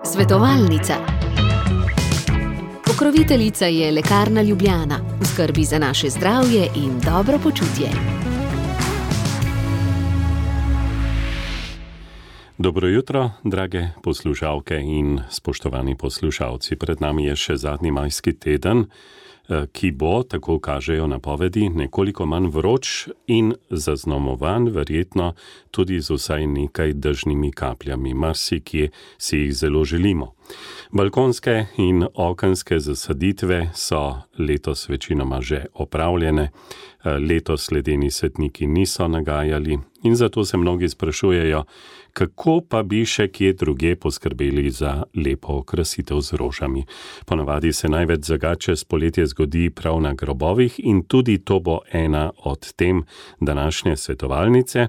Svetovalnica. Pokroviteljica je Lekarna Ljubljana, v skrbi za naše zdravje in dobro počutje. Dobro jutro, drage poslušalke in spoštovani poslušalci. Pred nami je še zadnji majski teden, ki bo, tako kažejo napovedi, nekoliko manj vroč in zaznamovan verjetno tudi z vsaj nekaj dežnimi kapljami. Marsikje si jih zelo želimo. Balkonske in okenske zasaditve so letos večinoma že opravljene. Letos ledeni svetniki niso nagajali in zato se mnogi sprašujejo, kako pa bi še kje druge poskrbeli za lepo okrasitev z rožami. Ponavadi se največ zagat čez poletje zgodi prav na grobovih in tudi to bo ena od tem današnje svetovalnice.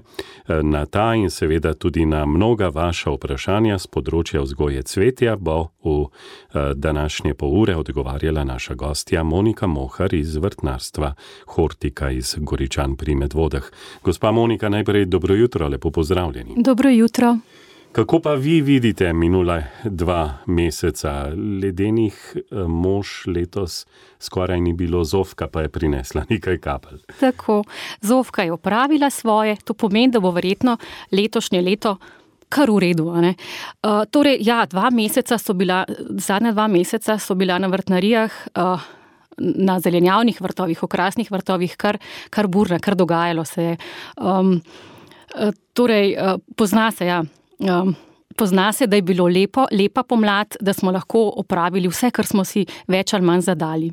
Na ta in seveda tudi na mnoga vaša vprašanja z področja vzgoje cvetja bo v današnje pol ure odgovarjala naša gostja Monika Mohar iz vrtnarstva Hortika iz Goričan pri Medvodah. Gospa Monika, najprej dobro jutro, lepo pozdravljeni. Dobro jutro. Kako pa vi vidite minule 2 meseca? Ledenih mož letos skoraj ni bilo, Zofka pa je prinesla nekaj kapelj. Tako, Zofka je opravila svoje, to pomeni, da bo verjetno letošnje leto kar v redu. Torej, ja, zadnja 2 meseca so bila na vrtnarijah, na zelenjavnih vrtovih, okrasnih vrtovih, kar burna, kar dogajalo se je. Pozna se, da je bilo lepa pomlad, da smo lahko opravili vse, kar smo si več ali manj zadali.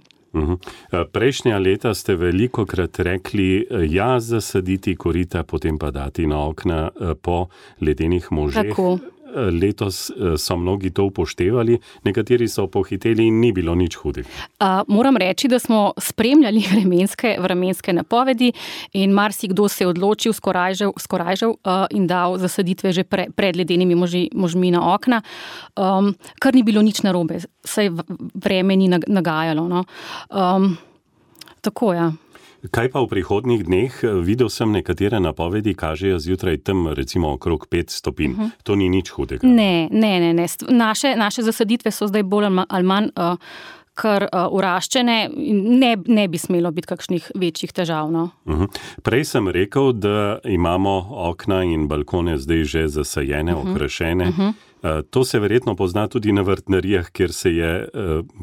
Prejšnja leta ste velikokrat rekli, ja, zasaditi korita, potem pa dati na okna po ledenih možeh. Tako. Letos so mnogi to upoštevali, nekateri so pohiteli in ni bilo nič hudega. Moram reči, da smo spremljali vremenske napovedi in marsikdo se je odločil, skorajžal in dal zasaditve že pred ledenimi možmi na okna, kar ni bilo nič narobe, saj vreme ni nagajalo. No. Tako, ja. Kaj pa v prihodnjih dneh? Videl sem nekatere napovedi, kažejo zjutraj tam recimo okrog 5 stopinj. To ni nič hudega. Ne. Naše zasaditve so zdaj bolj ali manj kar uraščene, ne bi smelo biti kakšnih večjih težav. No. Prej sem rekel, da imamo okna in balkone zdaj že zasajene, okrašene. To se verjetno pozna tudi na vrtnarijah, kjer se je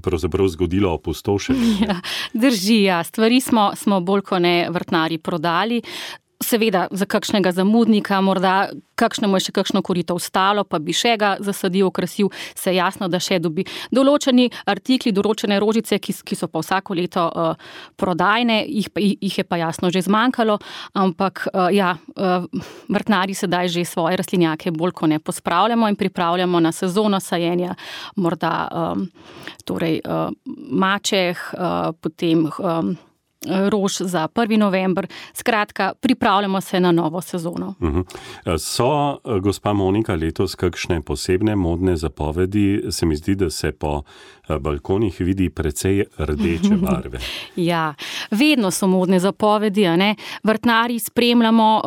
pravzaprav zgodilo opustošenje. Ja, drži, ja. Stvari smo bolj kot ne vrtnarji prodali. Seveda za kakšnega zamudnika, morda kakšnemu je še kakšno korito ostalo, pa bi še ga zasadil, okrasil, se jasno, da še dobi določeni artikli, določene rožice, ki so pa vsako leto prodajne, jih je pa jasno že zmanjkalo, ampak vrtnarji sedaj že svoje rastlinjake bolj kot ne pospravljamo in pripravljamo na sezono sajenja, morda mačeh, potem rož za 1. november. Skratka, pripravljamo se na novo sezono. So, gospa Monika, letos kakšne posebne modne zapovedi? Se mi zdi, da se po balkonih vidi precej rdeče barve. Ja, vedno so modne zapovedi, Vrtnarji spremljamo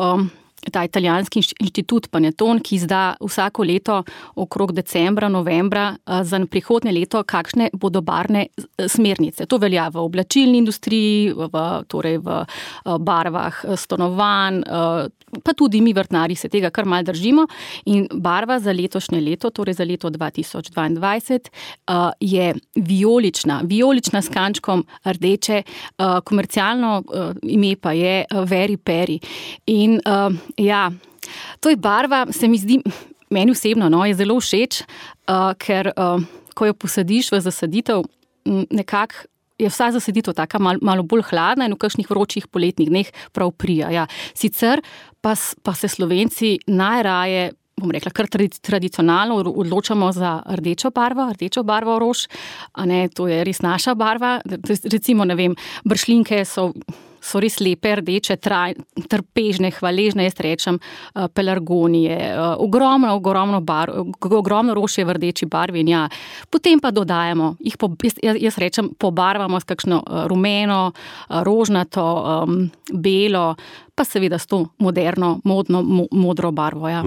ta italijanski inštitut Paneton, ki izda vsako leto okrog decembra, novembra za prihodnje leto, kakšne bodo barvne smernice. To velja v oblačilni industriji, v barvah stanovanj, pa tudi mi vrtnarji se tega kar malo držimo. In barva za letošnje leto, torej za leto 2022, je vijolična s kančkom rdeče, komercialno ime pa je Very Peri. In to je barva, se mi zdi, meni osebno, je zelo všeč, ker ko jo posadiš v zasaditev, nekako je vsa zasaditev taka malo bolj hladna in v kakšnih vročih poletnih dneh prav prija. Ja. Sicer pa se Slovenci najraje, bom rekla, kar tradicionalno odločamo za rdečo barvo rož, to je res naša barva. Recimo, bršljenke so res lepe, rdeče, trpežne, hvaležne, jaz rečem, pelargonije, ogromno rož je v rdeči barvi in potem pa dodajamo, jaz rečem, pobarvamo s kakšno rumeno, rožnato, belo, pa seveda s to moderno, modro barvo. Ja.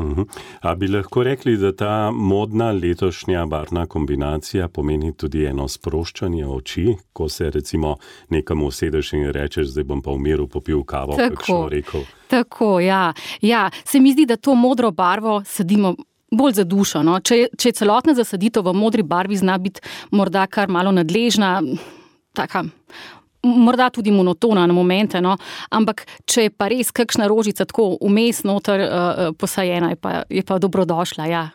A bi lahko rekli, da ta modna letošnja barvna kombinacija pomeni tudi eno sproščanje oči, ko se recimo nekam usedeš in rečeš, zdaj bom pa v miru popil kavo, kakšno rekel. Tako, ja. Se mi zdi, da to modro barvo sadimo bolj za dušo. No? Če je celotna zasaditev v modri barvi, zna biti morda kar malo nadležna, taka, morda tudi monotona na momente, no? Ampak če je pa res kakšna rožica tako vmes noter posajena, je pa dobrodošla, ja.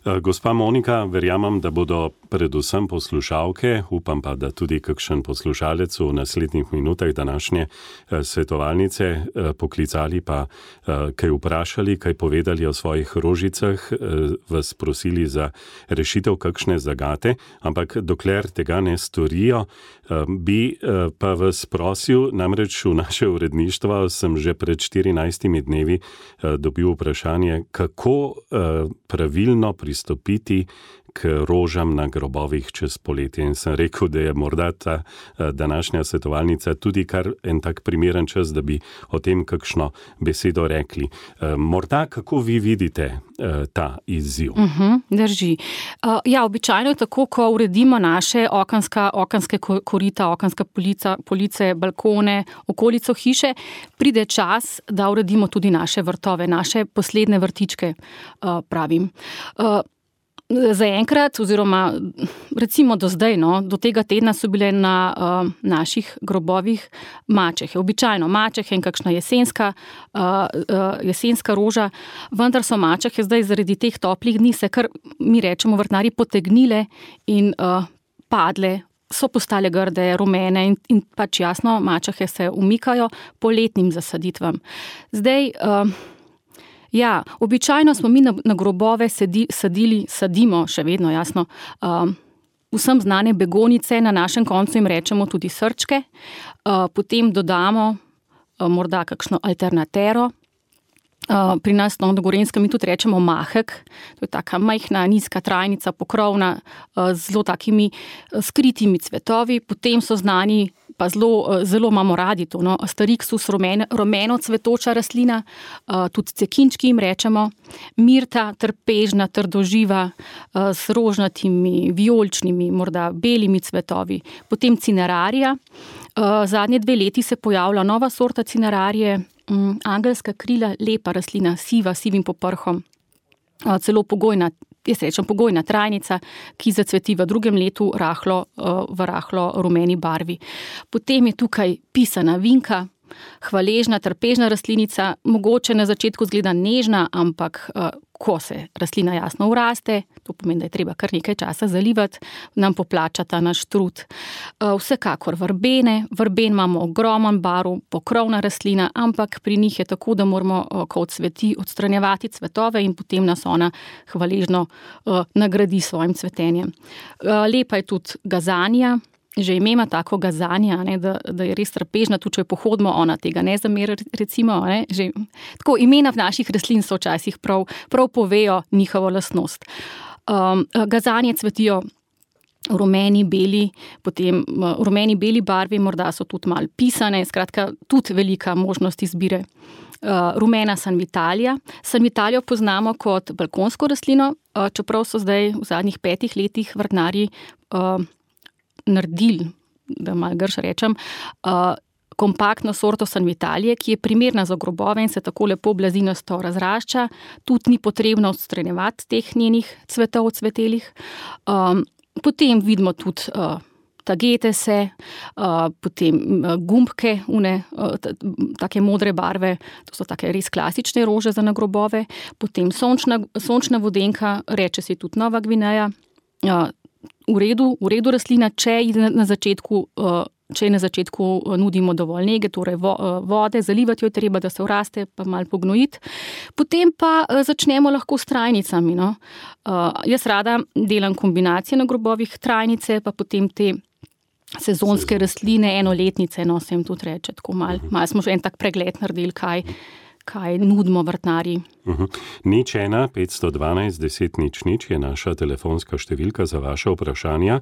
Gospa Monika, verjamem, da bodo predvsem poslušalke, upam pa, da tudi kakšen poslušalec v naslednjih minutah današnje svetovalnice poklicali pa kaj vprašali, kaj povedali o svojih rožicah, vas prosili za rešitev kakšne zagate, ampak dokler tega ne storijo, bi pa vas prosil, namreč v naše uredništvo sem že pred 14 dnevi dobil vprašanje, kako pravilno pristopiti k rožam na grobovih čez poletje. In sem rekel, da je morda ta današnja svetovalnica tudi kar en tak primeren čas, da bi o tem kakšno besedo rekli. Morda, kako vi vidite ta izziv? Drži. Ja, običajno je tako, ko uredimo naše okenske korita, okenske police, balkone, okolico hiše, pride čas, da uredimo tudi naše vrtove, naše posledne vrtičke, pravim. Zaenkrat, oziroma recimo do zdaj, do tega tedna so bile na naših grobovih mačehe. Običajno mačehe in kakšna jesenska roža, vendar so mačehe zdaj zaradi teh toplih dni se kar, mi rečemo vrtnarji, potegnile in padle, so postale grde, rumene in pač jasno, mačehe se umikajo poletnim zasaditvam. Zdaj, ja, običajno smo mi na grobove sadimo, še vedno jasno, vsem znane begonice, na našem koncu jim rečemo tudi srčke, potem dodamo morda kakšno alternatero. Pri nas na Gorenskem mi tudi rečemo mahek, to je taka majhna, nizka trajnica, pokrovna, z zelo takimi skritimi cvetovi, potem so znani, pa zelo imamo radi to, Asterixus, rumeno cvetoča rastlina, tudi cekinčki jim rečemo, mirta, trpežna, trdoživa, s rožnatimi, vijoličnimi, morda belimi cvetovi, potem cinerarija. Zadnje 2 leti se pojavlja nova sorta cinerarije, angelska krila, lepa rastlina, sivim poprhom, celo pogojna trajnica, ki zacveti v 2. letu v rahlo rumeni barvi. Potem je tukaj pisana vinka, hvaležna, trpežna rastlinica, mogoče na začetku zgleda nežna, ampak ko se rastlina jasno uraste, to pomeni, da je treba kar nekaj časa zalivati, nam poplača ta naš trud. Vsekakor vrben imamo ogromen barv, pokrovna rastlina, ampak pri njih je tako, da moramo, ko odsveti, odstranjevati cvetove in potem nas ona hvaležno nagradi s svojim cvetenjem. Lepa je tudi gazanija. Že ime ima tako gazanja, da je res trpežna, tudi če jo pohodimo, ona tega ne zameri, recimo. Že, tako, imena v naših rastlin so včasih prav povejo njihovo lastnost. Gazanje cvetijo rumeni, beli, potem rumeni, beli barvi, morda so tudi malo pisane, skratka, tudi velika možnost izbire. Rumena sanvitalija. Sanvitalijo poznamo kot balkonsko rastlino, čeprav so zdaj v zadnjih 5 letih vrtnarji naredili, da malo grš rečem, kompaktno sorto sanvitalije, ki je primerna za grobove in se tako lepo blazinasto razrašča, tudi ni potrebno odstranjevati teh njenih cvetov cvetelih. Potem vidimo tudi tagetese, potem gumbke, take modre barve, to so take res klasične rože za nagrobove, potem sončna vodenka, reče se tudi Nova Gvineja, v redu rastlina, če na začetku nudimo dovolj nege, torej vode, zalivati jo je treba, da se vraste, pa malo pognojiti. Potem pa začnemo lahko s trajnicami. Jaz rada delam kombinacije na grobovih, trajnice, pa potem te sezonske rastline, enoletnice, se jim tudi reče, tako malo smo že en tak pregled naredili, kaj nudimo vrtnarji. 01512 je naša telefonska številka za vaše vprašanja.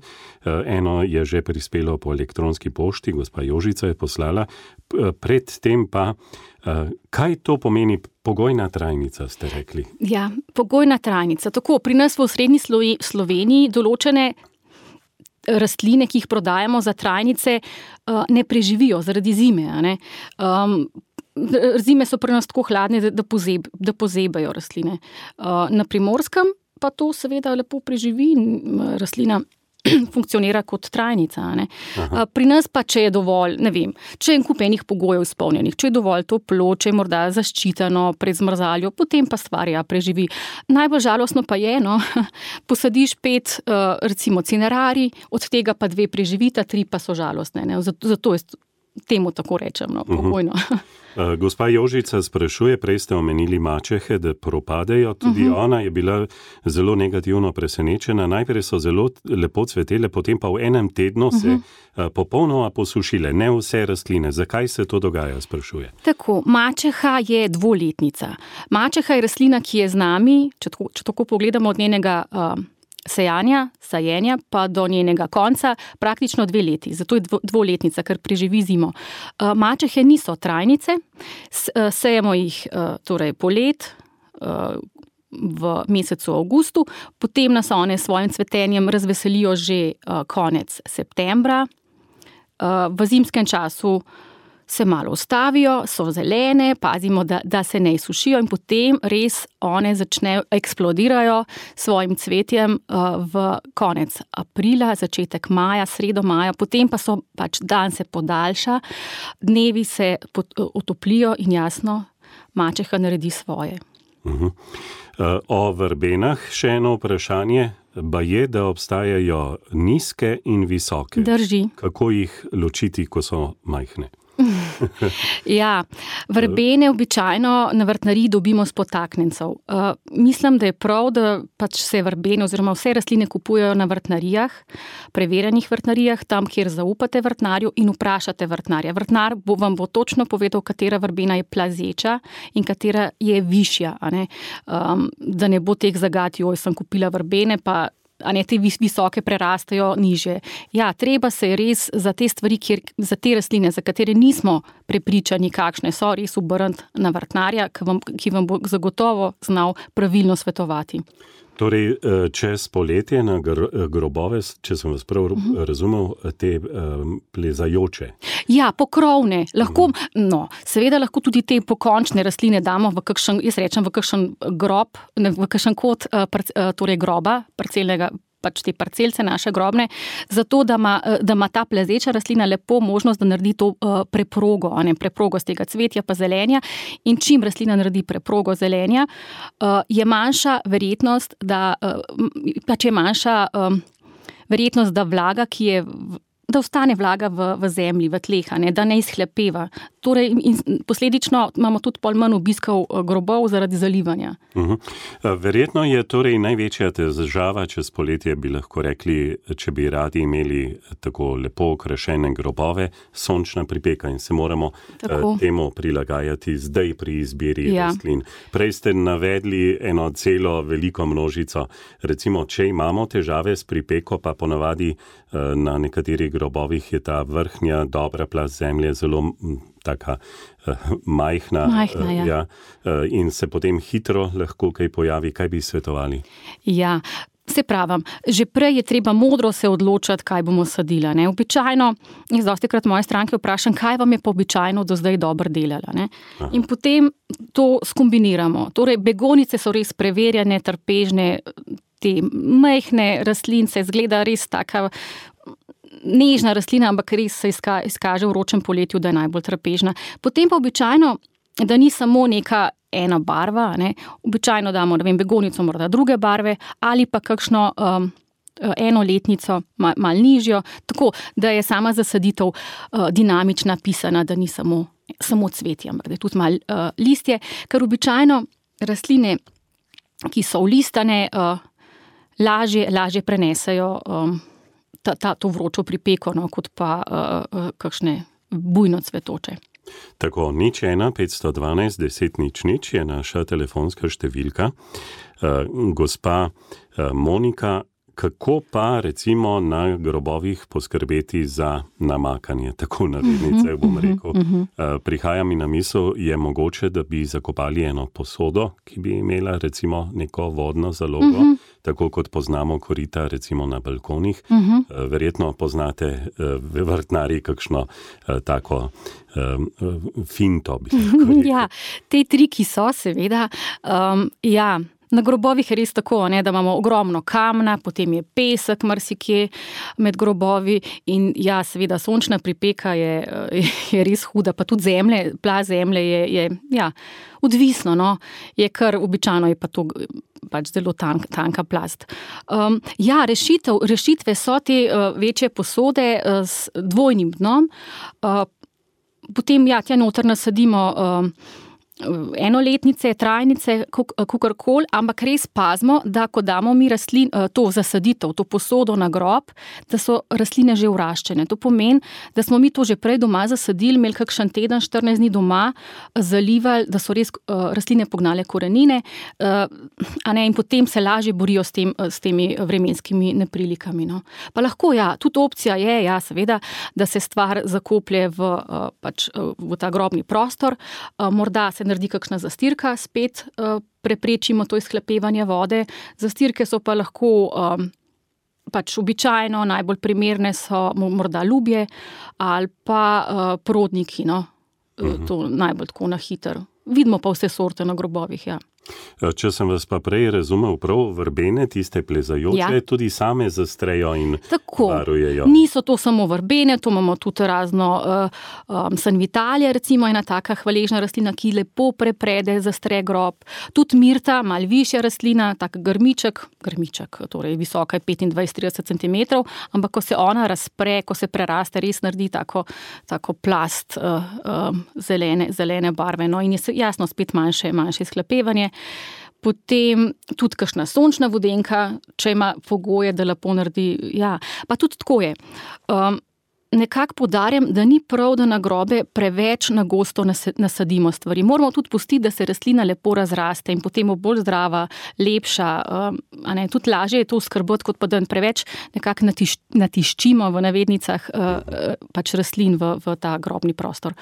Eno je že prispelo po elektronski pošti, gospa Jožica je poslala. Predtem pa, kaj to pomeni pogojna trajnica, ste rekli? Ja, pogojna trajnica. Tako, pri nas v osrednji Sloveniji določene rastline, ki jih prodajamo za trajnice, ne preživijo zaradi zime. Ne? Zime so pri nas tako hladne, da pozebajo rastline. Na Primorskem pa to seveda lepo preživi in rastlina funkcionira kot trajnica. Ne? Pri nas pa, če je dovolj, ne vem, če je en kup enih pogojev izpolnjenih, če je dovolj toplo, če je morda zaščiteno pred zmrzaljo, potem pa stvar preživi. Najbolj žalostno pa je, posadiš 5 recimo cinerarij, od tega pa 2 preživita, 3 pa so žalostne. Ne? Zato temu tako rečem, pogojno. Gospa Jožica sprašuje, prej ste omenili mačehe, da propadejo. Tudi ona je bila zelo negativno presenečena. Najprej so zelo lepo cvetele, potem pa v enem tednu se popolnoma posušile. Ne vse rastline. Zakaj se to dogaja, sprašuje? Tako, mačeha je dvoletnica. Mačeha je rastlina, ki je z nami, če tako pogledamo od njenega sajenja pa do njenega konca, praktično 2 leti. Zato je dvoletnica, ker preživi zimo. Mačehe niso trajnice, sejemo jih torej polet v mesecu avgustu, potem nas one s svojim cvetenjem razveselijo že konec septembra. V zimskem času se malo ustavijo, so zelene, pazimo, da se ne izsušijo in potem res one začnejo, eksplodirajo svojim cvetjem v konec aprila, začetek maja, sredo maja, potem pa dan se podaljša, dnevi se otoplijo in jasno, mačeha naredi svoje. O vrbenah še eno vprašanje. Baje, da obstajajo nizke in visoke. Drži. Kako jih ločiti, ko so majhne? Ja, verbene običajno na vrtnariji dobimo s podtaknjencev. Mislim, da je prav, da se verbene oziroma vse rastline kupujejo na vrtnarijah, preverjenih vrtnarijah, tam, kjer zaupate vrtnarju in vprašate vrtnarja. Vrtnar vam bo točno povedal, katera verbena je plazeča in katera je višja. Da ne bo teh zagat, sem kupila verbene, pa te visoke prerastajo niže. Ja, treba se res za te stvari, za te rastline, za katere nismo prepričani, kakšne so, res obrniti na vrtnarja, ki vam bo zagotovo znal pravilno svetovati. Torej, čez poletje na grobove, če sem vas prav razumel, te plezajoče. Ja, pokrovne. Seveda lahko tudi te pokončne rastline damo v kakšen, jaz rečem, v kakšen grob, v kakšen kot torej groba, parcelnega, te parcelce naše grobne, zato da ima ta plezeča rastlina lepo možnost, da naredi to preprogo, preprogo z tega cvetja pa zelenja. In čim rastlina naredi preprogo zelenja, je manjša verjetnost, da vlaga, da ostane vlaga v zemlji, v tleh, da ne izhlepeva. Torej, posledično imamo tudi pol manj obiskov grobov zaradi zalivanja. Verjetno je torej največja težava čez poletje, bi lahko rekli, če bi radi imeli tako lepo okrašene grobove, sončna pripeka in se moramo temu prilagajati zdaj pri izbiri rastlin. Prej ste navedli eno celo veliko množico. Recimo, če imamo težave s pripeko, pa ponavadi na nekaterih grobovih je ta vrhnja dobra plast zemlje zelo taka majhna, ja. In se potem hitro lahko kaj pojavi. Kaj bi svetovali? Ja, se pravim, že prej je treba modro se odločati, kaj bomo sadila. Običajno, jaz dostikrat moje stranke vprašam, kaj vam je pa običajno do zdaj dobro delala. In potem to skombiniramo. Torej, begonice so res preverjene, trpežne, te majhne rastlince, izgleda res taka nežna rastlina, ampak res se izkaže v vročem poletju, da je najbolj trpežna. Potem pa običajno, da ni samo neka ena barva, običajno damo, begonico morda druge barve ali pa kakšno enoletnico, malo nižjo, tako, da je sama zasaditev dinamična, pisana, da ni samo cvetje, ampak da je tudi malo listje, ker običajno rastline, ki so ulistane, lažje prenesejo to vročo pripeko, kot pa kakšne bujno cvetoče. Tako, 01 512 10 00 je naša telefonska številka. Gospa Monika, kako pa recimo na grobovih poskrbeti za namakanje, tako narednice, bom rekel. Prihaja mi na misel, je mogoče, da bi zakopali eno posodo, ki bi imela recimo neko vodno zalogo, tako kot poznamo korita recimo na balkonih. Verjetno poznate vrtnari kakšno tako finto. Ja, te triki so seveda, ja. Na grobovih je res tako, ne, da imamo ogromno kamna, potem je pesek marsikje med grobovi in ja, seveda sončna pripeka je res huda, pa tudi zemlje, plaz zemlje je ja, odvisno, no, je kar običajno je pa to pač zelo tanka plast. Ja, rešitve so te večje posode s dvojnim dnom, potem ja, tja noter nasadimo enoletnice, trajnice, kakorkoli, ampak res pazimo, da ko damo mi to zasaditev, to posodo na grob, da so rastline že vraščene. To pomeni, da smo mi to že prej doma zasadili, imeli kakšen teden, 14 dni doma, zalivali, da so res rastline pognale korenine, a ne, in potem se lažje borijo s temi vremenskimi neprilikami. No. Pa lahko, ja, tudi opcija je, ja, seveda, da se stvar zakoplje v ta grobni prostor, morda se naredi kakšna zastirka, spet preprečimo to izhlapevanje vode. Zastirke so pa lahko pač običajno, najbolj primerne so morda lubje ali pa prodniki, no. To najbolj tako na hitro. Vidimo pa vse sorte na grobovih, ja. Če sem vas pa prej razumel prav, verbene, tiste plezajoče, tudi same zastrejo in varujejo. Niso to samo verbene, to imamo tudi razno sanvitalje, recimo ena taka hvaležna rastlina, ki lepo preprede, zastre grob. Tudi mirta, malo višja rastlina, tak grmiček, torej visoka je 25-30 cm, ampak ko se ona razpre, ko se preraste, res naredi tako plast zelene barve. No, in je jasno spet manjše izhlapevanje. Potem tudi kakšna sončna vodenka, če ima pogoje, da lepo naredi, ja. Pa tudi tako je. Nekako poudarjam, da ni prav, da na grobe preveč na gosto nasadimo stvari. Moramo tudi pustiti, da se rastlina lepo razraste in potem bo bolj zdrava, lepša, a ne, tudi lažje je to skrbeti, kot pa da preveč nekako natiščimo v navednicah pač rastlin v ta grobni prostor.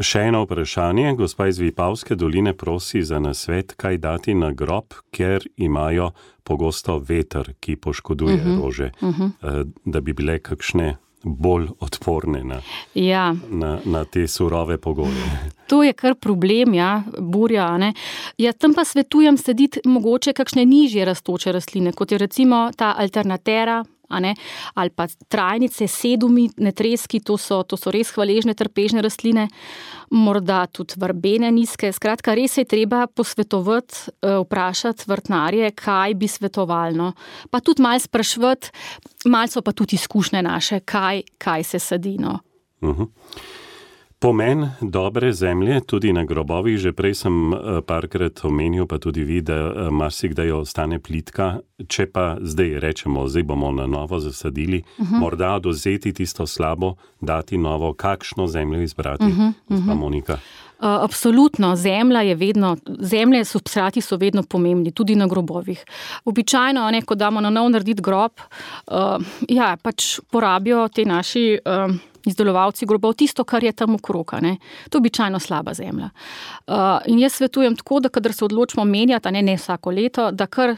Še eno vprašanje. Gospa iz Vipavske doline prosi za nasvet, kaj dati na grob, ker imajo pogosto veter, ki poškoduje rože, da bi bile kakšne bolj odporne na te surove pogoje. To je kar problem, ja, burja, ne. Ja, tam pa svetujem saditi mogoče kakšne nižje rastoče rastline, kot je recimo ta alternatera, a ne, ali pa trajnice, sedumi, netreski, to so res hvaležne, trpežne rastline, morda tudi verbene nizke. Skratka, res je treba posvetovati, vprašati vrtnarje, kaj bi svetovalno. Pa tudi malo spraševati, malo so pa tudi izkušnje naše, kaj se sadi, no. Pomen dobre zemlje, tudi na grobovih, že prej sem parkrat omenil, pa tudi vi, da marsikdaj ostane plitka. Če pa zdaj rečemo, zdaj bomo na novo zasadili, morda odvzeti tisto slabo, dati novo, kakšno zemljo izbrati, gospa Monika? Absolutno, zemlje substrati so vedno pomembni, tudi na grobovih. Običajno, ne, ko damo na nov narediti grob, ja, pač porabijo te naši izdelovalci grobov tisto, kar je tam okrog, ne. To je običajno slaba zemlja. In jaz svetujem tako, da kadar se odločimo menjati, ne vsako leto, da kar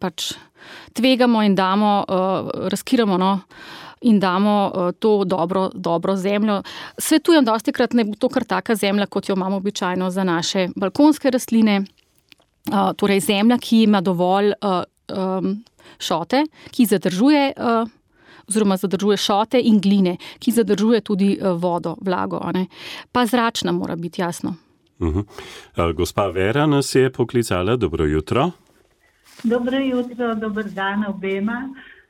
pač tvegamo in damo, razkiramo, no, in damo to dobro zemljo. Svetujem dostikrat, ne bo to kar taka zemlja, kot jo imamo običajno za naše balkonske rastline, torej zemlja, ki ima dovolj šote, ki zadržuje šote in gline, ki zadržuje tudi vodo, vlago, ne. Pa zračna mora biti, jasno. Gospa Vera nas je poklicala, dobro jutro. Dobro jutro, dober dan obema.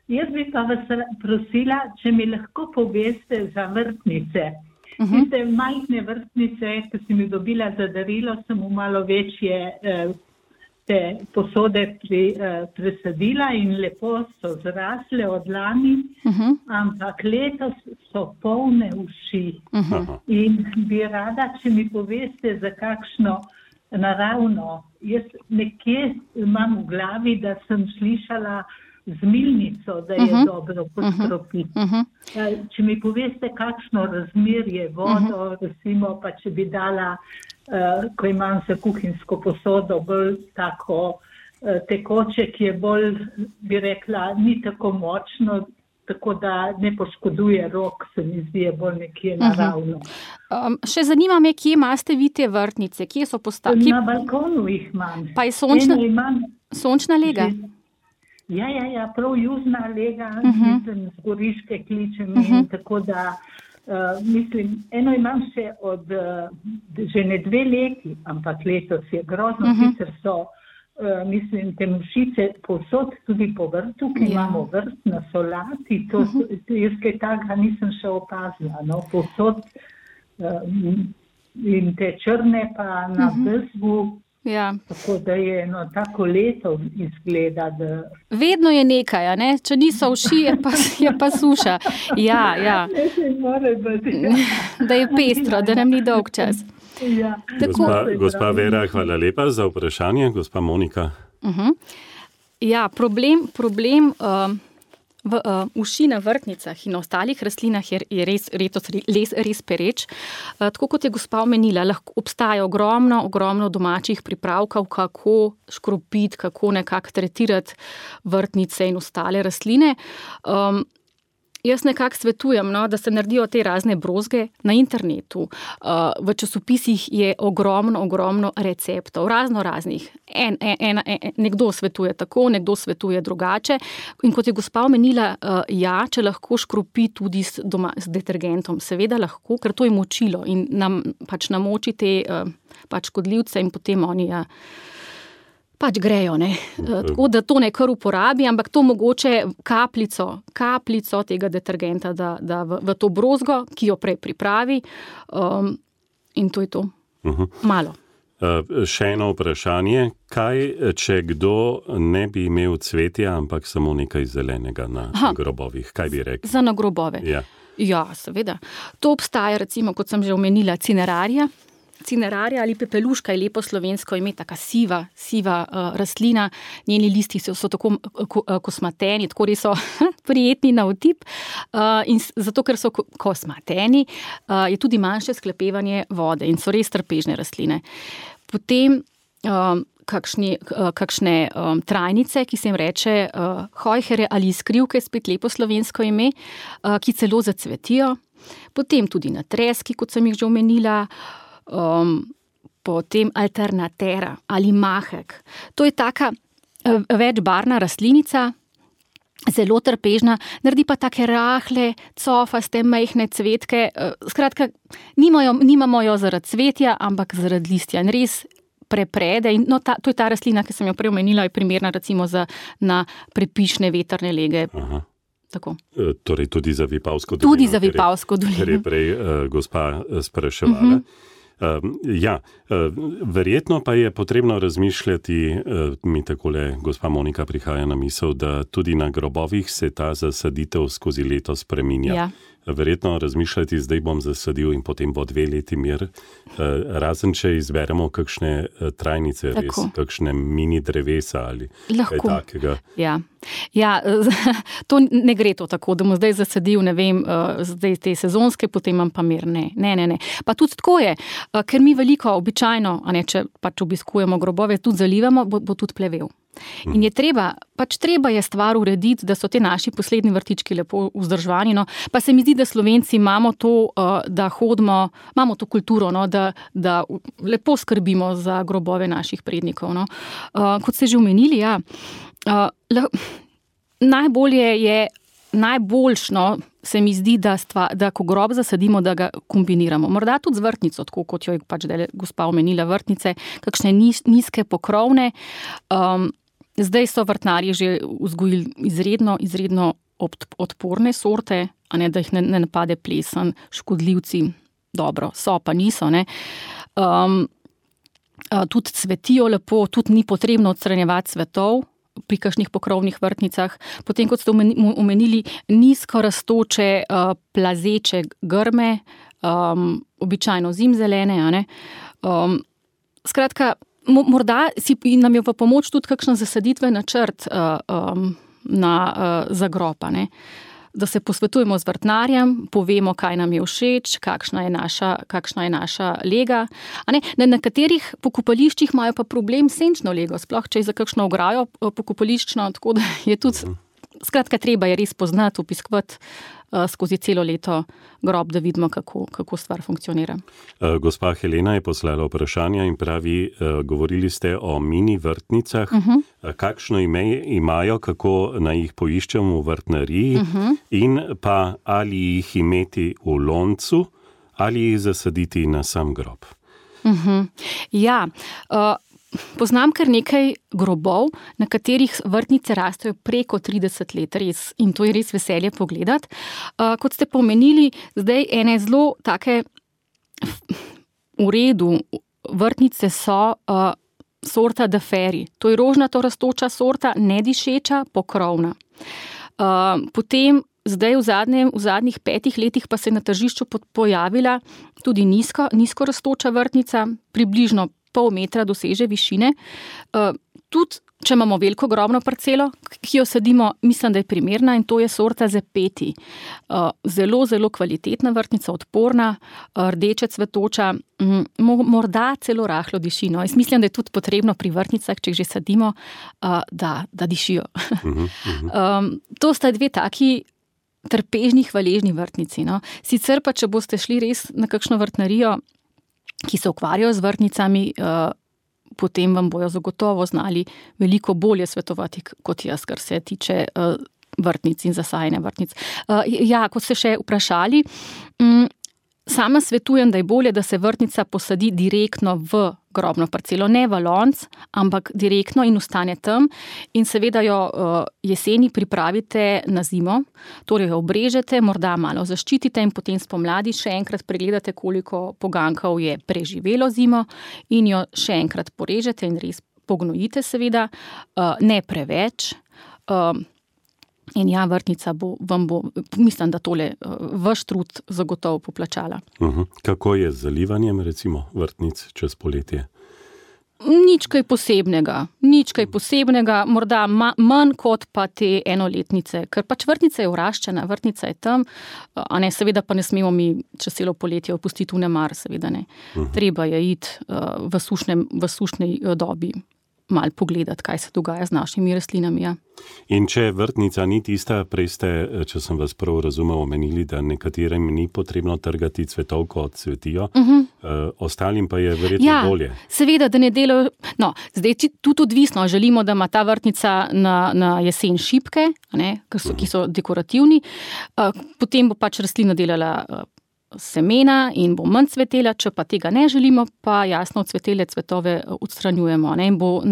Jaz bi pa vas prosila, če mi lahko poveste za vrtnice. Tiste majhne vrtnice, ki sem jih dobila za darilo, sem v malo večje te posode presadila in lepo so zrasle od lani, ampak letos so polne uši. In bi rada, če mi poveste, za kakšno naravno. Jaz nekje imam v glavi, da sem slišala zmilnico, da je dobro poskropiti. Če mi poveste, kakšno razmerje vodo, recimo, pa če bi dala, ko imam za kuhinjsko posodo, bolj tako tekoče, ki je bolj, bi rekla, ni tako močno, tako da ne poškoduje rok, se mi zdi, je bolj nekje naravno. Še zanima me, kje imate vi te vrtnice? Kje so postavljene? Na balkonu jih imam. Pa je sončna lega? Ja, prav južna lega, mislim, z Goriške kličem in tako da, mislim, eno imam še od že ne 2 leti, ampak letos je grozno, sicer so, mislim, te mušice povsod tudi po vrtu, ki imamo vrt na solati, to jaz kaj takega nisem še opazila, no, povsod in te črne pa na bezgu. Ja. Tako da je tako leto izgleda, da... Vedno je nekaj, ne? Če niso uši, je pa suša. Ja. Da je pestro, da nam ni dolg čas. Ja. Gospa Vera, hvala lepa za vprašanje. Gospa Monika. Ja, problem v uši na vrtnicah in na ostalih rastlinah je res pereč. Tako kot je gospa omenila, lahko obstaja ogromno domačih pripravkov, kako škropiti, kako nekako tretirati vrtnice in ostale rastline. Jaz nekako svetujem, da se naredijo te razne brozge na internetu. V časopisih je ogromno receptov, raznih. Nekdo svetuje tako, nekdo svetuje drugače. In kot je gospa omenila, če lahko škropi tudi z detergentom, seveda lahko, ker to je močilo in nam namoči te škodljivce in potem oni grejo, ne. Tako da to ne kar uporabi, ampak to mogoče kapljico tega detergenta da v to brozgo, ki jo prej pripravi, in to je to. Malo. Še eno vprašanje. Kaj, če kdo ne bi imel cvetja, ampak samo nekaj zelenega na grobovih? Kaj bi rekli? Za na grobove? Ja, seveda. To obstaja, recimo, kot sem že omenila, Cinerarija ali pepeluška je lepo slovensko ime, taka siva rastlina. Njeni listi so tako kosmateni, tako res so prijetni na otip. In zato, ker so kosmateni, je tudi manjše sklepevanje vode in so res trpežne rastline. Potem kakšne trajnice, ki se jim reče hojhere ali iskrivke, spet lepo slovensko ime, ki celo zacvetijo. Potem tudi natreski, kot sem jih že omenila. Potem alternatera ali mahek. To je taka večbarvna rastlinica, zelo trpežna, naredi pa take rahle, cofaste, majhne cvetke. Skratka, nimamo jo zaradi cvetja, ampak zaradi listja. In res preprede. In, to je ta rastlina, ki sem jo prej omenila, je primerna recimo na prepišne vetrne lege. Aha. Tako. Torej tudi za Vipavsko dolino. Tudi za Vipavsko dolino. Ker je prej gospa spraševala. Verjetno pa je potrebno razmišljati, mi takole gospa Monika prihaja na misel, da tudi na grobovih se ta zasaditev skozi leto spreminja. Ja. Verjetno razmišljati, zdaj bom zasadil in potem bo 2 leti mir. Razen, če izberemo kakšne trajnice, res, kakšne mini drevesa ali kaj takega. Ja, to ne gre to tako, da bom zdaj zasadil, ne vem, zdaj te sezonske, potem imam pa mir. Ne. Pa tudi tako je, ker mi veliko običajno, če obiskujemo grobove, tudi zalivamo, bo tudi plevel. In je treba je stvar urediti, da so te naši poslednji vrtički lepo vzdrževani, pa se mi zdi, da Slovenci imamo to, da hodimo, imamo to kulturo, da lepo skrbimo za grobove naših prednikov. Kot ste že omenili, najboljšno se mi zdi, da ko grob zasadimo, da ga kombiniramo. Morda tudi z vrtnico, tako kot jo je gospa omenila, vrtnice, kakšne nizke pokrovne. Zdaj so vrtnarji že vzgojili izredno odporne sorte, da jih ne napade plesen, škodljivci, dobro, so pa niso, ne. tudi cvetijo lepo, tudi ni potrebno odstranjevati cvetov pri kakšnih pokrovnih vrtnicah. Potem, kot ste omenili, nizko rastoče, plazeče grme, običajno zimzelene, a ne. Skratka, morda nam je v pomoč tudi kakšen zasaditven načrt za grob, a ne. Da se posvetujemo z vrtnarjem, povemo, kaj nam je všeč, kakšna je naša lega. Na nekaterih pokopališčih imajo pa problem s senčno lego, sploh če je za kakšno ograjo pokopališčno, tako da je tudi, skratka, treba je res poznati, opiskovati skozi celo leto grob, da vidimo, kako stvar funkcionira. Gospa Helena je poslala vprašanja in pravi, govorili ste o mini vrtnicah. Kakšno ime imajo, kako naj jih poiščemo v vrtnariji in pa ali jih imeti v loncu ali jih zasaditi na sam grob? Ja, poznam kar nekaj grobov, na katerih vrtnice rastejo preko 30 let, res, in to je res veselje pogledati. Kot ste pomenili, zdaj ene zelo take v redu vrtnice so sorta De Feri. To je rožnato rastoča sorta, nedišeča, pokrovna. Potem zdaj v zadnjih 5 letih pa se je na tržišču pojavila tudi nizko rastoča vrtnica, približno pol metra doseže višine. Tudi, če imamo veliko grobno parcelo, ki jo sadimo, mislim, da je primerna, in to je sorta Zepeti. Zelo, zelo kvalitetna vrtnica, odporna, rdeče cvetoča, morda celo rahlo diši. No. Jaz mislim, da je tudi potrebno pri vrtnicah, če jih že sadimo, da dišijo. To sta dve taki trpežni, hvaležni vrtnici. No. Sicer pa, če boste šli res na kakšno vrtnarijo, ki se ukvarjajo z vrtnicami, potem vam bojo zagotovo znali veliko bolje svetovati kot jaz, kar se tiče vrtnic in zasajanja vrtnic. Ja, kot ste še vprašali, sama svetujem, da je bolje, da se vrtnica posadi direktno v grobno parcelo, ne v lonc, ampak direktno in ostane tam, in seveda jo jeseni pripravite na zimo, torej jo obrežete, morda malo zaščitite in potem spomladi še enkrat pregledate, koliko poganjkov je preživelo zimo, in jo še enkrat porežete in res pognojite seveda, ne preveč. In ja, vrtnica vam bo, mislim, da tole vaš trud zagotovo poplačala. Kako je z zalivanjem, recimo, vrtnic čez poletje? Nič kaj posebnega, morda manj kot pa te enoletnice, ker pač vrtnica je vraščena, vrtnica je tam, a ne, seveda pa ne smemo mi čez celo poletje opustiti vnemar, seveda ne. Treba je iti v sušnej dobi malo pogledati, kaj se dogaja z našimi rastlinami. Ja. In če vrtnica ni tista, prej ste, če sem vas prav razumel, omenili, da nekaterim ni potrebno trgati cvetov, ko cvetijo, ostalim pa je verjetno bolje. Seveda, da ne delajo, no, zdaj tudi odvisno, želimo, da ima ta vrtnica na jesen šipke, ki so dekorativni, potem bo pač rastlina delala semena in bo manj cvetela, če pa tega ne želimo, pa jasno cvetele cvetove odstranjujemo, in bo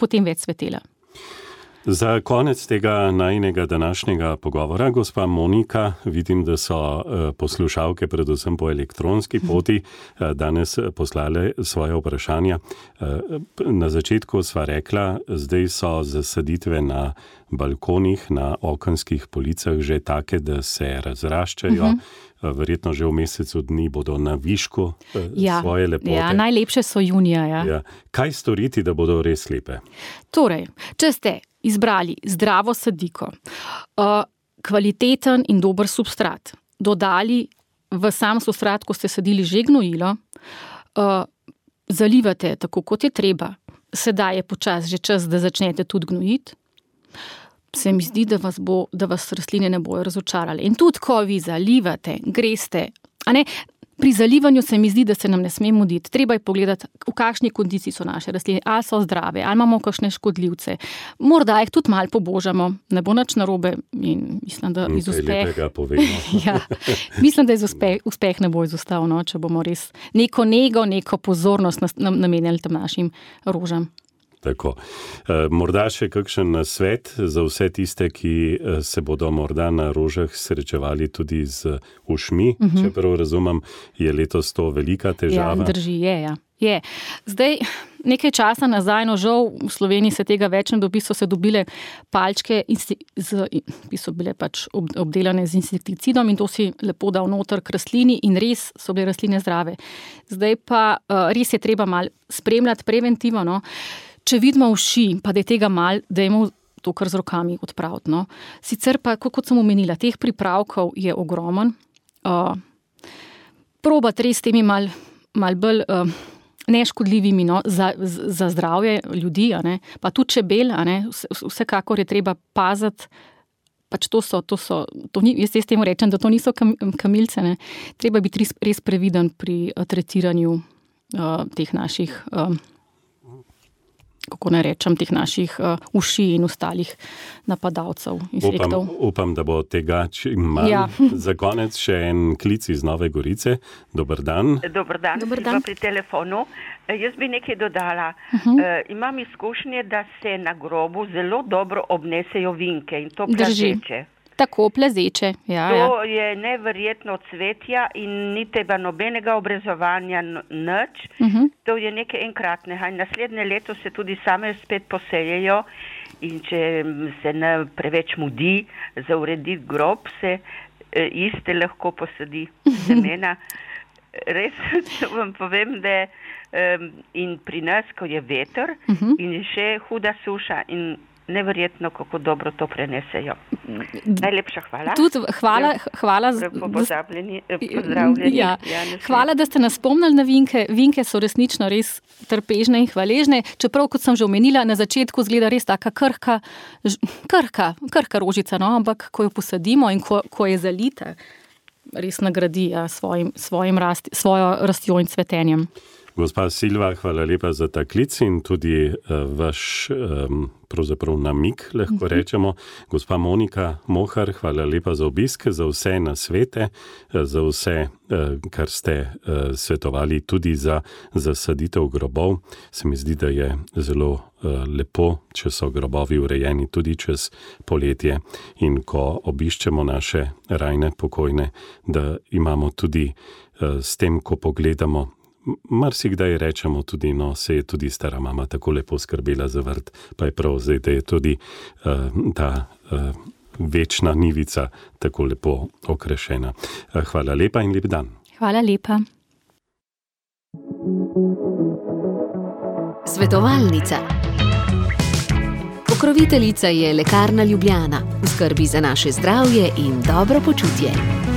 potem več cvetela. Za konec tega najinega današnjega pogovora, gospa Monika, vidim, da so poslušalke predvsem po elektronski poti danes poslale svoje vprašanja. Na začetku sva rekla, zdaj so zasaditve na balkonih, na okenskih policah že take, da se razraščajo. Verjetno že v mesecu dni bodo na višku svoje lepote. Ja, najlepše so junija. Ja. Kaj storiti, da bodo res lepe? Torej, če ste izbrali zdravo sadiko, kvaliteten in dober substrat, dodali v sam substrat, ko ste sadili že gnojilo, zalivate tako, kot je treba, sedaj je počas že čas, da začnete tudi gnojiti, se mi zdi, da vas rastline ne bojo razočarale. In tudi, ko vi zalivate, greste, pri zalivanju se mi zdi, da se nam ne sme muditi. Treba je pogledati, v kakšni kondiciji so naše rastline, ali so zdrave, ali imamo kakšne škodljivce. Morda jih tudi malo pobožamo, ne bo nič narobe, in mislim, da iz uspeha. Mislim, da iz uspeh ne bo izostal, če bomo res neko nego, neko pozornost namenjali tem našim rožam. Tako. Morda še kakšen nasvet za vse tiste, ki se bodo morda na rožah srečevali tudi z ušmi, čeprav razumem, je letos to velika težava. Ja, drži, je, ja. Je. Zdaj, nekaj časa nazaj, no žal v Sloveniji se tega več ne dobi, so se dobile palčke, ki so bile pač obdelane z insekticidom in to si lepo dal noter k rastlini in res so bile rastline zdrave. Zdaj pa res je treba malo spremljati preventivno, no. Če vidimo uši, pa da je tega malo, dajmo to kar z rokami odpraviti. No. Sicer pa, kot sem omenila, teh pripravkov je ogromen. Probati res temi malo bolj neškodljivimi, no, za zdravje ljudi, a ne, pa tudi čebel, a ne, vsekakor je treba paziti, pač jaz temu rečem, da to niso kamilce, ne, treba biti res previden pri tretiranju teh naših kako ne rečem, teh naših uši in ostalih napadalcev insektov. Upam, da bo tega čim manj. Ja. Za konec še en klic iz Nove Gorice. Dober dan. Dober dan. Pri telefonu. Jaz bi nekaj dodala. Imam izkušnje, da se na grobu zelo dobro obnesejo vinke in to plazeče. Tako, plezeče. Ja, to je neverjetno cvetja in ni teba nobenega obrezovanja nič. To je nekaj enkratnega. In naslednje leto se tudi same spet posejejo in če se ne preveč mudi za urediti grob, se iste lahko posadi semena. Res vam povem, da in pri nas, ko je veter in je še huda suša in neverjetno, kako dobro to prenesejo. Najlepša hvala. Tudi hvala. Pozdravljeni. Ja. Hvala, da ste nas spomnili na vinke. Vinke so resnično res trpežne in hvaležne. Čeprav, kot sem že omenila, na začetku izgleda res taka krhka rožica, no? Ampak ko jo posadimo in ko je zalita, res nagradi svojo rastjo in cvetenjem. Gospa Silva, hvala lepa za ta klic in tudi vaš pravzaprav namik, lahko rečemo. Gospa Monika Mohar, hvala lepa za obisk, za vse nasvete, za vse, kar ste svetovali tudi za zasaditev grobov. Se mi zdi, da je zelo lepo, če so grobovi urejeni tudi čez poletje in ko obiščemo naše rajne pokojne, da imamo tudi s tem, ko pogledamo, marsikdaj rečemo tudi, no, se je tudi stara mama tako lepo skrbela za vrt, pa je prav zdaj, da je tudi ta večna nivica tako lepo okrašena. Hvala lepa in lep dan. Hvala lepa. Svetovalnica. Pokroviteljica je Lekarna Ljubljana. V skrbi za naše zdravje in dobro počutje.